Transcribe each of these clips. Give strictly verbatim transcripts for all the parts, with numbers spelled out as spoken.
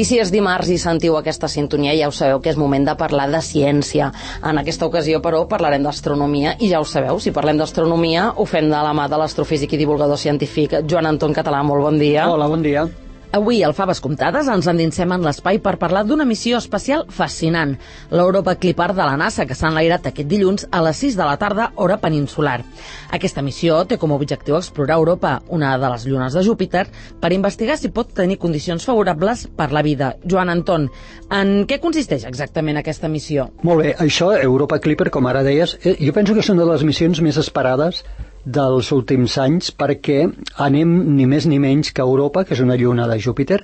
I si és dimarts i sentiu aquesta sintonia, ja ho sabeu que és moment de parlar de ciència. En aquesta ocasió, però, parlarem d'astronomia i ja ho sabeu, si parlem d'astronomia ho fem de la mà de l'astrofísic i divulgador científic Joan Anton Català. Molt bon dia. Hola, bon dia. Avui, al Faves Comptades, ens endinsem en l'espai per parlar d'una missió espacial fascinant, l'Europa Clipper de la NASA, que s'ha enlairat aquest dilluns a les sis de la tarda, hora peninsular. Aquesta missió té com a objectiu explorar Europa, una de les llunes de Júpiter, per investigar si pot tenir condicions favorables per la vida. Joan Anton, en què consisteix exactament aquesta missió? Molt bé, això, Europa Clipper, com ara deies, eh, jo penso que és una de les missions més esperades dels últims anys, perquè anem ni més ni menys que Europa, que és una lluna de Júpiter,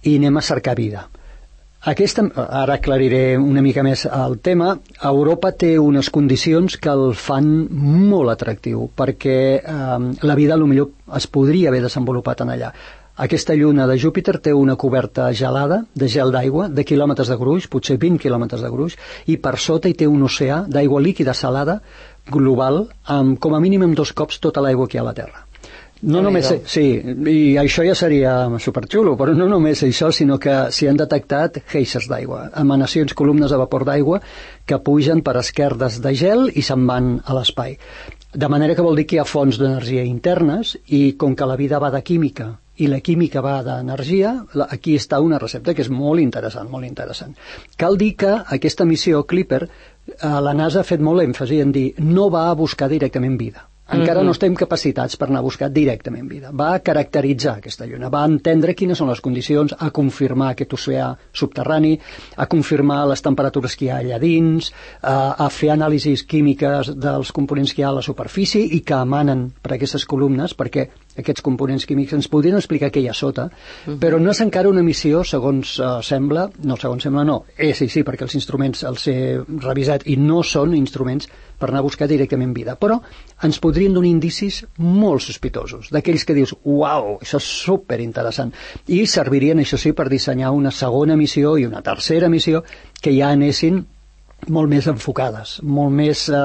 i anem a cercar vida. Aquesta, ara aclariré una mica més el tema. Europa té unes condicions que el fan molt atractiu, perquè eh, la vida potser es podria haver desenvolupat en allà. Aquesta lluna de Júpiter té una coberta gelada, de gel d'aigua, de quilòmetres de gruix, potser vint quilòmetres de gruix, i per sota hi té un oceà d'aigua líquida salada global, amb, com a mínim amb dos cops tota l'aigua que hi ha a la Terra. No només, sí, i això ja seria superxulo, però no només això, sinó que s'hi han detectat geysers d'aigua, emanacions, columnes de vapor d'aigua que pugen per esquerdes de gel i se'n van a l'espai. De manera que vol dir que hi ha fonts d'energia internes, i com que la vida va de química i la química va d'energia, aquí està una recepta que és molt interessant, molt interessant. Cal dir que aquesta missió Clipper, la NASA ha fet molt èmfasi en dir no va a buscar directament vida. Encara no estem capacitats per anar a buscar directament vida. Va a caracteritzar aquesta lluna, va a entendre quines són les condicions, a confirmar aquest oceà subterrani, a confirmar les temperatures que hi ha allà dins, a, a fer anàlisis químiques dels components que hi ha a la superfície i que emanen per aquestes columnes, perquè aquests components químics ens podrien explicar què hi ha sota, uh-huh. però no és encara una missió, segons uh, sembla, no, segons sembla no, eh, sí, sí, perquè els instruments els he revisat i no són instruments per anar a buscar directament vida, però ens podrien donar indicis molt sospitosos, d'aquells que dius, uau, això és superinteressant, i servirien, això sí, per dissenyar una segona missió i una tercera missió que ja anessin molt més enfocades, molt més eh,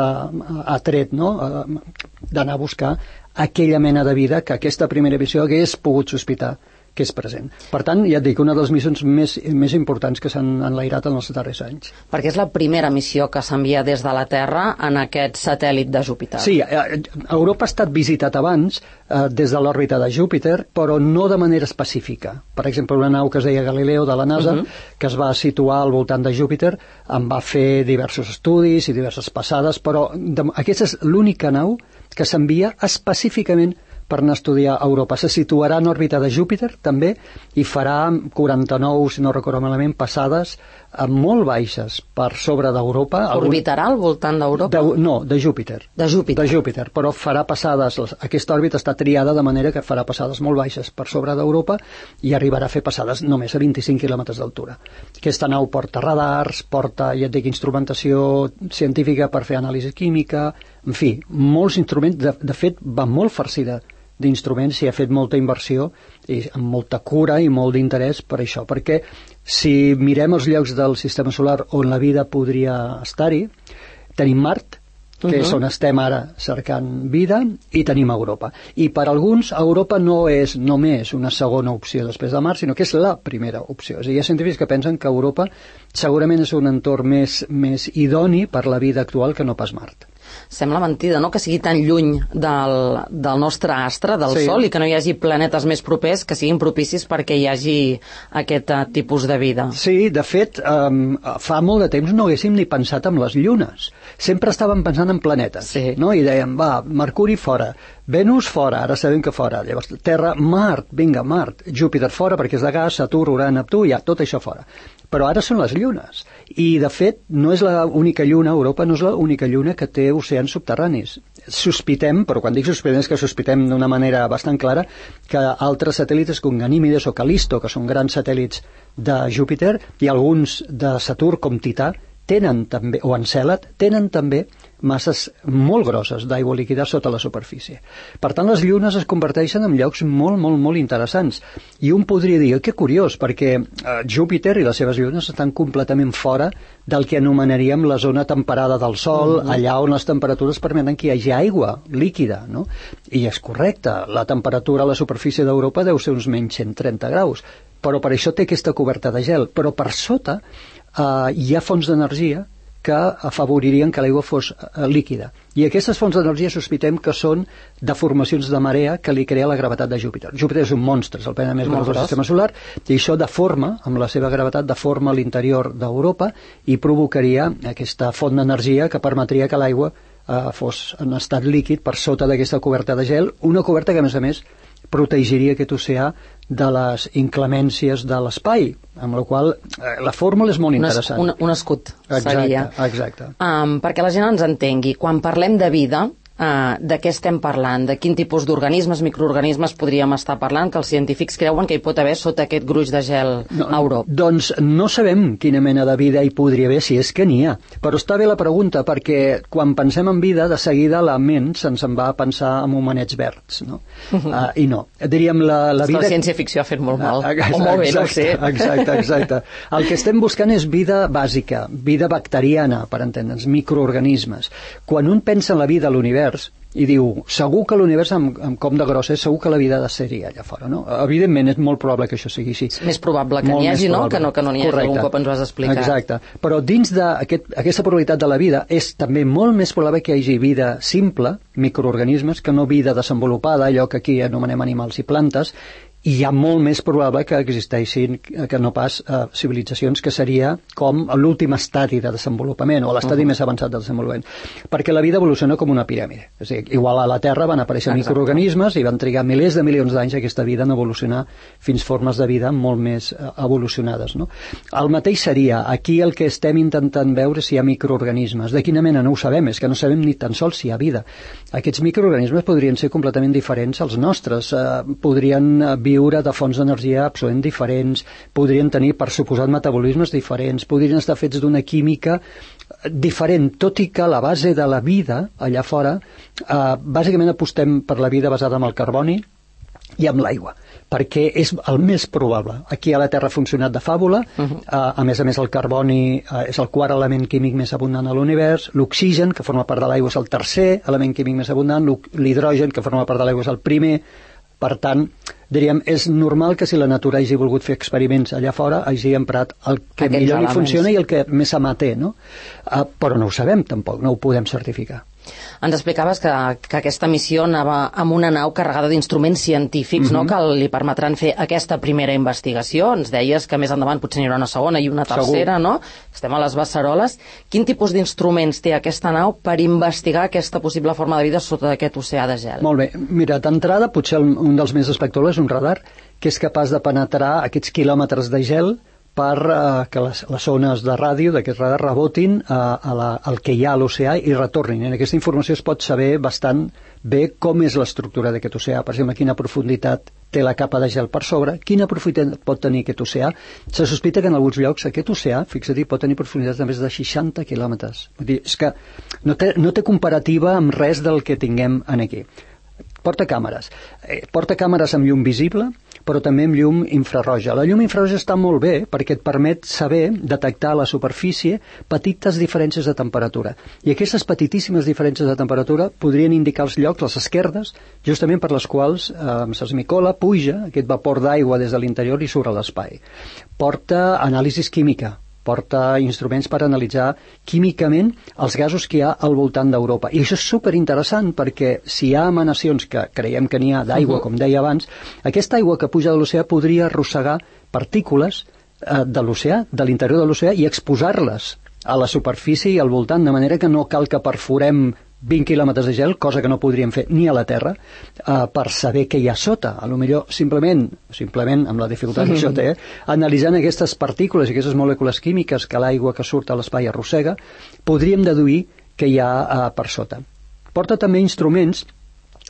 atret, no?, eh, d'anar a buscar aquella mena de vida que aquesta primera missió hagués pogut sospitar que és present. Per tant, ja et dic, una de les missions més, més importants que s'han enlairat en els darrers anys. Perquè és la primera missió que s'envia des de la Terra en aquest satèl·lit de Júpiter. Sí, Europa ha estat visitat abans eh, des de l'òrbita de Júpiter, però no de manera específica. Per exemple, una nau que es deia Galileo de la NASA, uh-huh. que es va situar al voltant de Júpiter, en va fer diversos estudis i diverses passades, però de, aquesta és l'única nau que s'envia específicament per anar a estudiar a Europa. Se situarà en òrbita de Júpiter, també, i farà quaranta-nou, si no recordo malament, passades molt baixes per sobre d'Europa. Orbitarà al voltant d'Europa? De, no, de Júpiter. De Júpiter. De Júpiter, però farà passades, aquesta òrbita està triada de manera que farà passades molt baixes per sobre d'Europa i arribarà a fer passades només a vint-i-cinc quilòmetres d'altura. Aquesta nau porta radars, porta, ja et dic, instrumentació científica per fer anàlisi química, en fi, molts instruments, de, de fet, va molt farcida d'instruments, s'hi ha fet molta inversió i amb molta cura i molt d'interès per això, perquè si mirem els llocs del sistema solar on la vida podria estar-hi, tenim Mart, que uh-huh. és on estem ara cercant vida, i tenim Europa. I per alguns, Europa no és només una segona opció després de Mart, sinó que és la primera opció. És a dir, hi ha científics que pensen que Europa segurament és un entorn més, més idoni per la vida actual que no pas Mart. Sembla mentida, no?, que sigui tan lluny del, del nostre astre, del sí. Sol, i que no hi hagi planetes més propers que siguin propicis perquè hi hagi aquest uh, tipus de vida. Sí, de fet, um, fa molt de temps no haguéssim ni pensat en les llunes. Sempre estàvem pensant en planetes, sí. no? I dèiem, va, Mercuri fora, Venus fora, ara sabem que fora, llavors Terra, Mart, vinga, Mart, Júpiter fora perquè és de gas, Saturn, Urà, Neptú, ja, tot això fora. Però ara són les llunes. I, de fet, no és l'única lluna, Europa no és l'única lluna que té oceans subterranis. Sospitem, però quan dic sospitem és que sospitem d'una manera bastant clara, que altres satèl·lits com Ganímedes o Calisto, que són grans satèl·lits de Júpiter, i alguns de Saturn, com Tità, tenen també, o Encèlad, tenen també masses molt grosses d'aigua líquida sota la superfície. Per tant, les llunes es converteixen en llocs molt, molt, molt interessants. I un podria dir, que curiós, perquè eh, Júpiter i les seves llunes estan completament fora del que anomenaríem la zona temperada del Sol, mm-hmm. allà on les temperatures permeten que hi hagi aigua líquida, no? I és correcte, la temperatura a la superfície d'Europa deu ser uns menys cent trenta graus, però per això té aquesta coberta de gel. Però per sota eh, hi ha fonts d'energia que afavoririen que l'aigua fos eh, líquida. I aquestes fonts d'energia sospitem que són deformacions de marea que li crea la gravetat de Júpiter. Júpiter és un monstre, és el planeta més gros del sistema solar, i això deforma, amb la seva gravetat, deforma l'interior d'Europa i provocaria aquesta font d'energia que permetria que l'aigua eh, fos en estat líquid per sota d'aquesta coberta de gel, una coberta que, a més a més, protegiria aquest oceà de les inclemències de l'espai, amb la qual eh, la fórmula és molt un interessant. Un, un escut exacte, seria. Exacte. Um, perquè la gent ens entengui, quan parlem de vida, uh, de què estem parlant? De quin tipus d'organismes, microorganismes podríem estar parlant, que els científics creuen que hi pot haver sota aquest gruix de gel no, a Europa? Doncs no sabem quina mena de vida hi podria haver, si és que n'hi ha. Però està bé la pregunta, perquè quan pensem en vida, de seguida la ment se'ns en va a pensar en homenets verds, no? Uh -huh. uh, I no. Diríem la, la vida... La ciència-ficció ha fet molt mal. Ah, exacte, o molt bé, no ho sé. Exacte, exacte. El que estem buscant és vida bàsica, vida bacteriana, per entendre'ns, microorganismes. Quan un pensa en la vida a l'univers, i diu, segur que l'univers amb, amb com de gros és, segur que la vida ha de ser-hi allà fora, no? Evidentment és molt probable que això sigui així. És més probable que n'hi hagi, no? Que no que no n'hi hagi, algun cop ens ho has explicat. Exacte, però dins d'aquesta aquest, probabilitat de la vida és també molt més probable que hi hagi vida simple, microorganismes, que no vida desenvolupada, allò que aquí anomenem animals i plantes, i hi ha molt més probable que existeixin que no pas eh, civilitzacions que seria com l'últim estadi de desenvolupament o l'estadi uh -huh. més avançat de desenvolupament, perquè la vida evoluciona com una piràmide, és a dir, igual a la Terra van aparèixer Exacte. microorganismes i van trigar milers de milions d'anys aquesta vida en evolucionar fins formes de vida molt més eh, evolucionades, no? El mateix seria, aquí el que estem intentant veure si hi ha microorganismes, de quina mena no ho sabem, és que no sabem ni tan sols si hi ha vida. Aquests microorganismes podrien ser completament diferents als nostres, eh, podrien eh, viure de fonts d'energia absolutament diferents, podrien tenir, per suposat, metabolismes diferents, podrien estar fets d'una química diferent, tot i que la base de la vida allà fora, eh, bàsicament apostem per la vida basada en el carboni i amb l'aigua, perquè és el més probable. Aquí a la Terra ha funcionat de fàbula, uh -huh. eh, a més a més el carboni eh, és el quart element químic més abundant a l'univers, l'oxigen, que forma part de l'aigua, és el tercer element químic més abundant, l'hidrogen, que forma part de l'aigua, és el primer. Per tant, diríem, és normal que si la natura hagi volgut fer experiments allà fora hagi emprat el que Aquests millor li funciona i el que més ama té, no? Uh, però no ho sabem tampoc, no ho podem certificar. Ens explicaves que, que aquesta missió anava amb una nau carregada d'instruments científics, mm-hmm. no?, que li permetran fer aquesta primera investigació. Ens deies que més endavant potser n'hi haurà una segona i una tercera, Segur. no? Estem a les beceroles. Quin tipus d'instruments té aquesta nau per investigar aquesta possible forma de vida sota aquest oceà de gel? Molt bé. Mira, d'entrada, potser un dels més espectaculars és un radar que és capaç de penetrar aquests quilòmetres de gel per uh, que les, les ones de ràdio d'aquest radar rebotin uh, a la, al que hi ha a l'oceà i retornin. En aquesta informació es pot saber bastant bé com és l'estructura d'aquest oceà, per exemple, quina profunditat té la capa de gel per sobre, quina profunditat pot tenir aquest oceà. Se sospita que en alguns llocs aquest oceà, fixa't, pot tenir profunditats de més de seixanta quilòmetres. Vull dir, és que no té, no té comparativa amb res del que tinguem aquí. Porta càmeres. Eh, porta càmeres amb llum visible, però també amb llum infraroja. La llum infraroja està molt bé perquè et permet saber, detectar a la superfície petites diferències de temperatura. I aquestes petitíssimes diferències de temperatura podrien indicar els llocs, les esquerdes, justament per les quals eh, s'esmicola, puja aquest vapor d'aigua des de l'interior i surt a l'espai. Porta anàlisis química, porta instruments per analitzar químicament els gasos que hi ha al voltant d'Europa. I això és superinteressant perquè si hi ha emanacions que creiem que n'hi ha d'aigua, uh-huh. com deia abans, aquesta aigua que puja de l'oceà podria arrossegar partícules eh, de l'oceà, de l'interior de l'oceà, i exposar-les a la superfície i al voltant, de manera que no cal que perforem vint quilòmetres de gel, cosa que no podríem fer ni a la Terra, eh, per saber què hi ha sota. A lo millor simplement, simplement amb la dificultat que això té, analitzant aquestes partícules i aquestes molècules químiques que l'aigua que surt a l'espai arrossega, podríem deduir què hi ha eh, per sota. Porta també instruments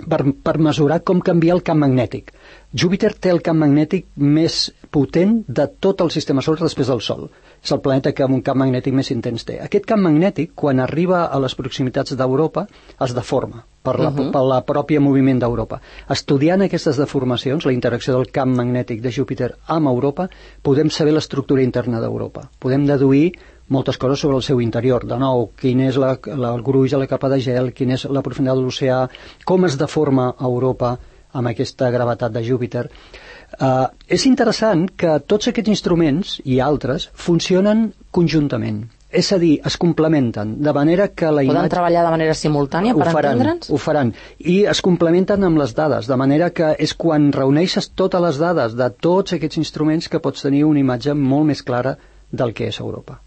per, per mesurar com canvia el camp magnètic. Júpiter té el camp magnètic més potent de tot el sistema solar després del Sol. És el planeta que amb un camp magnètic més intens té. Aquest camp magnètic, quan arriba a les proximitats d'Europa, es deforma per la, uh-huh. per la pròpia moviment d'Europa. Estudiant aquestes deformacions, la interacció del camp magnètic de Júpiter amb Europa, podem saber l'estructura interna d'Europa. Podem deduir moltes coses sobre el seu interior. De nou, quin és la, la, el gruix de la capa de gel, quina és la profunditat de l'oceà, com es deforma Europa amb aquesta gravetat de Júpiter. Uh, és interessant que tots aquests instruments i altres funcionen conjuntament. És a dir, es complementen, de manera que la imatge... Poden treballar de manera simultània per entendre'ns? Ho faran, i es complementen amb les dades, de manera que és quan reuneixes totes les dades de tots aquests instruments que pots tenir una imatge molt més clara del que és Europa.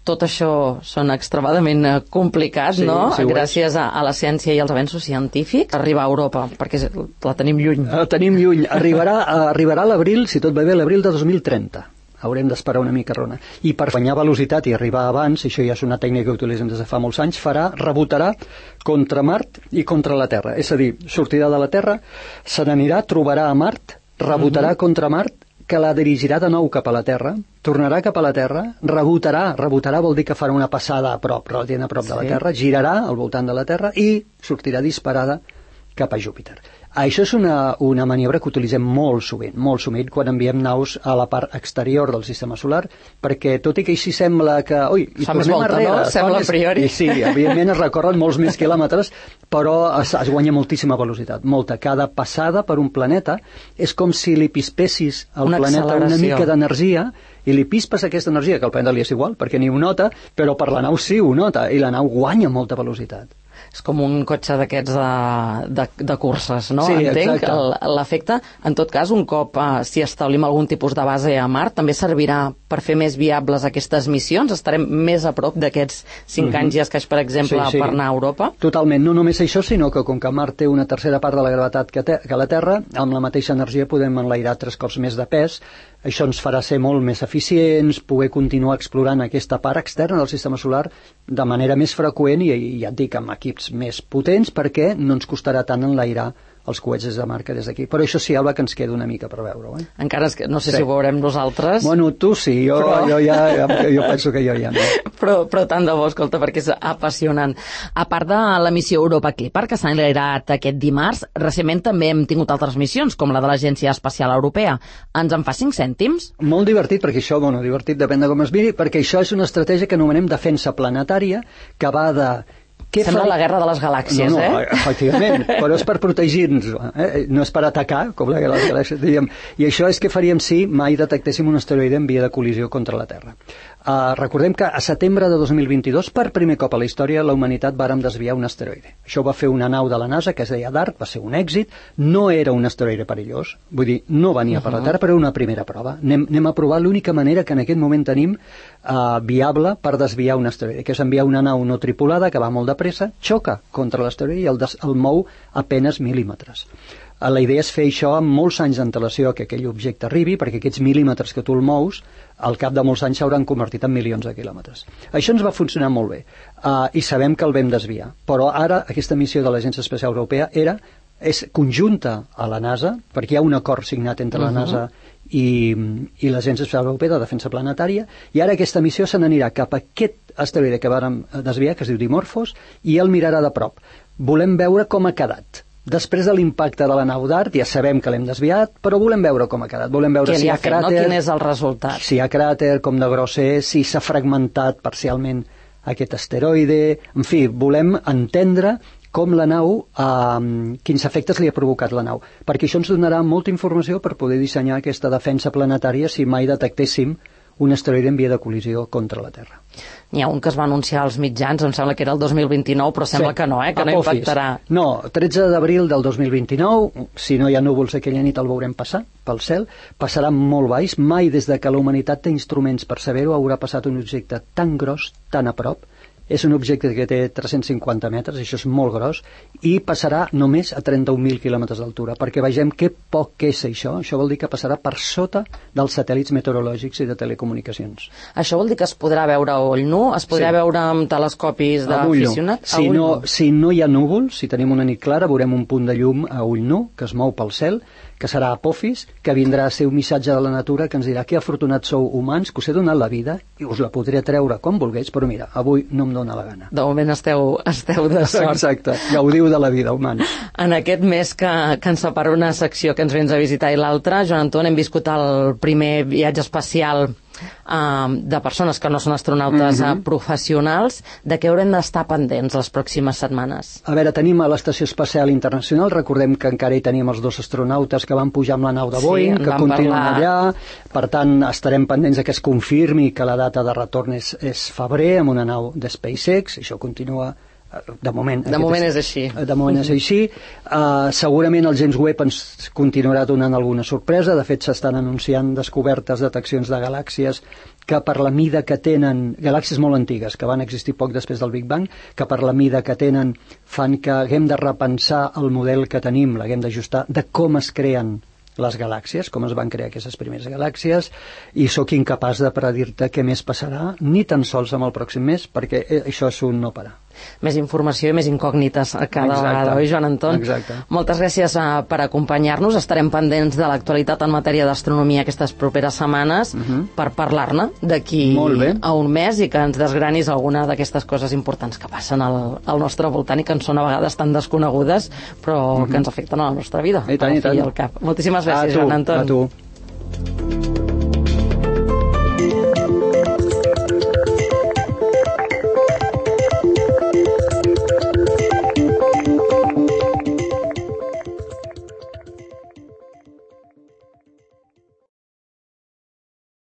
Tot això són extremadament complicats, sí, no? Sí, gràcies a, a la ciència i als avenços científics. Arribar a Europa, perquè la tenim lluny. La tenim lluny. Arribarà, arribarà a l'abril, si tot va bé, l'abril de dos mil trenta. Haurem d'esperar una mica, Rona. I per guanyar velocitat i arribar abans, i això ja és una tècnica que utilitzem des de fa molts anys, farà, rebotarà contra Mart i contra la Terra. És a dir, sortirà de la Terra, se n'anirà, trobarà a Mart, rebotarà uh-huh. contra Mart, que la dirigirà de nou cap a la Terra, tornarà cap a la Terra, rebotarà, rebotarà vol dir que farà una passada a prop, relativament a prop sí. de la Terra, girarà al voltant de la Terra i sortirà disparada cap a Júpiter. Això és una, una maniobra que utilitzem molt sovint, molt sovint quan enviem naus a la part exterior del sistema solar, perquè tot i que així sembla que... Ui, i fa més volta, arrere, no? Sembla a priori. I sí, evidentment es recorren molts més quilòmetres, però es, es guanya moltíssima velocitat, molta. Cada passada per un planeta és com si li pispessis al una planeta una mica d'energia i li pispes aquesta energia, que al planeta li és igual, perquè ni ho nota, però per la nau sí ho nota, i la nau guanya molta velocitat. És com un cotxe d'aquests de, de, de curses, no? Sí, entenc l'efecte. En tot cas, un cop eh, si establim algun tipus de base a Mart, també servirà per fer més viables aquestes missions? Estarem més a prop d'aquests cinc mm-hmm. anys i escaig, per exemple, sí, sí. per anar a Europa? Totalment. No només això, sinó que com que Mart té una tercera part de la gravetat que, te, que la Terra, amb la mateixa energia podem enlairar tres cops més de pes. Això ens farà ser molt més eficients, poder continuar explorant aquesta part externa del sistema solar de manera més freqüent i, i ja et dic, amb equips més potents, perquè no ens costarà tant enlairar els coets des de Mart que des d'aquí. Però això sí, Alba, que ens queda una mica per veure-ho. Eh? Encara és que no sé sí. si ho veurem nosaltres. Bueno, tu sí, jo, però... jo, ja, jo penso que jo ja no. Però, però tant de bo, escolta, perquè és apassionant. A part de la missió Europa Clipper, que s'ha enlairat aquest dimarts, recentment també hem tingut altres missions, com la de l'Agència Espacial Europea. Ens en fa cinc cèntims? Molt divertit, perquè això, bueno, divertit depèn de com es miri, perquè això és una estratègia que anomenem defensa planetària, que va de... Sembla la guerra de les galàxies, no, no, eh? Efectivament, però és per protegir-nos, eh? No és per atacar, com la guerra de les galàxies, diguem. I això és que faríem si mai detectéssim un asteroide en via de col·lisió contra la Terra. Uh, recordem que a setembre de dos mil vint-i-dos, per primer cop a la història, la humanitat vàrem desviar un asteroide. Això ho va fer una nau de la NASA que es deia DART, va ser un èxit, no era un asteroide perillós, vull dir, no venia uh-huh. per la Terra, però era una primera prova. Anem, anem a provar l'única manera que en aquest moment tenim uh, viable per desviar un asteroide, que és enviar una nau no tripulada que va molt de pressa, xoca contra l'asteroide i el, des, el mou a penes mil·límetres. La idea és fer això amb molts anys d'antelació que aquell objecte arribi, perquè aquests mil·límetres que tu el mous, al cap de molts anys s'hauran convertit en milions de quilòmetres. Això ens va funcionar molt bé, uh, i sabem que el vam desviar. Però ara aquesta missió de l'Agència Espacial Europea era, és conjunta a la NASA, perquè hi ha un acord signat entre la NASA uh-huh. i, i l'Agència Espacial Europea de Defensa Planetària, i ara aquesta missió se n'anirà cap a aquest asteroide que vàrem desviar, que es diu Dimorphos, i el mirarà de prop. Volem veure com ha quedat. Després de l'impacte de la nau DART, ja sabem que l'hem desviat, però volem veure com ha quedat. Volem veure si hi ha fet, cràter, no? Quin és el resultat? Si hi ha cràter, com de gros és, si s'ha fragmentat parcialment aquest asteroide... En fi, volem entendre com la nau, eh, quins efectes li ha provocat la nau, perquè això ens donarà molta informació per poder dissenyar aquesta defensa planetària si mai detectéssim un asteroide en via de col·lisió contra la Terra. N'hi ha un que es va anunciar als mitjans, em sembla que era el dos mil vint-i-nou, però sembla sí, que no, eh? que no impactarà. No, tretze d'abril del dos mil vint-i-nou, si no hi ha núvols aquella nit el veurem passar pel cel, passarà molt baix, mai des de que la humanitat té instruments per saber-ho haurà passat un objecte tan gros, tan a prop. És un objecte que té tres-cents cinquanta metres, això és molt gros, i passarà només a trenta-un mil quilòmetres d'altura, perquè vegem que poc és això. Això vol dir que passarà per sota dels satèl·lits meteorològics i de telecomunicacions. Això vol dir que es podrà veure a ull nu? Es podrà sí. veure amb telescopis d'aficionat? Si, no, si no hi ha núvols, si tenim una nit clara, veurem un punt de llum a ull nu, que es mou pel cel, que serà Apophis, que vindrà a ser un missatge de la natura que ens dirà que afortunats sou humans, que us he donat la vida i us la podré treure com volgués, però mira, avui no em dóna la gana. De moment esteu, esteu de sort. Exacte, gaudiu de la vida, humans. En aquest mes que, que ens separa una secció que ens vens a visitar i l'altra, Joan Anton, hem viscut el primer viatge espacial uh, de persones que no són astronautes mm-hmm. uh, professionals. De què haurem d'estar pendents les pròximes setmanes? A veure, tenim a l'Estació Espacial Internacional, recordem que encara hi tenim els dos astronautes que van pujar amb la nau de Boeing, sí, que continuen parlar... allà, per tant estarem pendents que es confirmi que la data de retorn és, és febrer amb una nau de SpaceX, això continua de moment, de moment és, és així de moment és així uh, segurament el James Webb ens continuarà donant alguna sorpresa. De fet s'estan anunciant descobertes, deteccions de galàxies que per la mida que tenen, galàxies molt antigues que van existir poc després del Big Bang, que per la mida que tenen fan que haguem de repensar el model que tenim, l'haguem d'ajustar de com es creen les galàxies, com es van crear aquestes primeres galàxies, i sóc incapaç de predir-te què més passarà, ni tan sols amb el pròxim mes, perquè això és un no parar. Més informació i més incògnites cada Exacte. vegada, oi, Joan Anton? Exacte. Moltes gràcies uh, per acompanyar-nos. Estarem pendents de l'actualitat en matèria d'astronomia aquestes properes setmanes uh-huh. per parlar-ne d'aquí a un mes i que ens desgranis alguna d'aquestes coses importants que passen al, al nostre voltant i que ens són a vegades tan desconegudes, però uh-huh. que ens afecten a la nostra vida. I tant, i tant. Al cap. Moltíssimes gràcies, tu, Joan Anton. A tu.